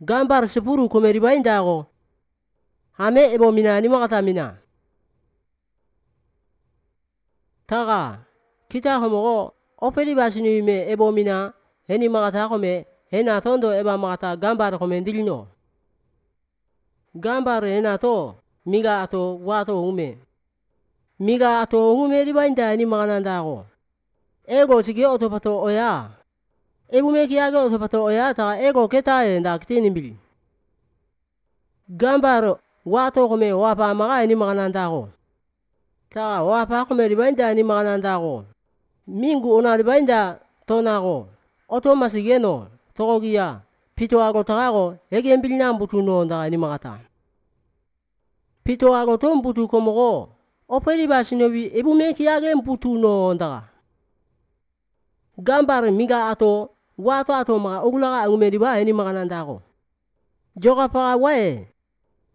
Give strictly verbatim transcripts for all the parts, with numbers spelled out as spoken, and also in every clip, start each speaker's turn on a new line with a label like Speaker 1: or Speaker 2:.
Speaker 1: Gambar sepuru komeri baindago. Hame ebo mina ni makata mina. Taga kita homogo operi basini me ebo mina heni makata kome hena tondo eba makata gambar kome dilino. Gambar hena to miga ato wato ume. Miga ato ume di bainda ni makanandago. Ego sige otopato oya. Ebu me kiage otopato oya taga ego ketae nda kitini mbili. Gambar wato kome wapa maga ni makanandago. Taga wapa kome di bainda ni makanandago. Mingu ona di bainda tonago. Oto masigeno togogia pito ago tagago ege mbili nambutu no nda ni makata. Pito ago to mbutu komogo operi basinobi ebu me kiage mbutu no nda. Gambar miga ato wato ato maga ogulaga umedi ba heni makanandago. Joga paga wae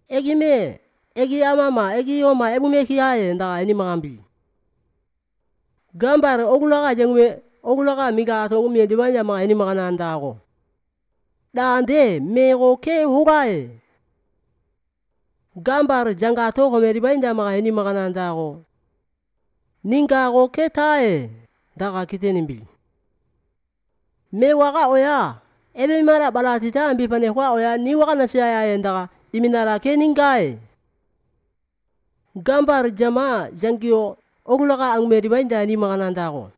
Speaker 1: egi me egi amama egi yoma ebu me kiae nda heni makambi. Gambar ogulaga jengume ogulaga miga ato umedi banya maga heni makanandago. Dande mego ke hugae. Gambar janga to komedi bainda maga heni makanandago. Ningago ketae daga kiteni mbili. Me waga oya ebe mara balatita ambi pane kwa oya ni waga nasiya ya ndaga iminara ke ningae. Gambar jama jangio ogulaga angumedi bainda ni makanandago.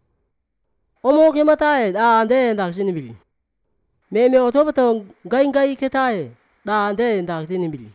Speaker 1: Omo ke matae dande nda kiteni mbili. Me me otopato ngai ngai ketae dande nda kiteni mbili.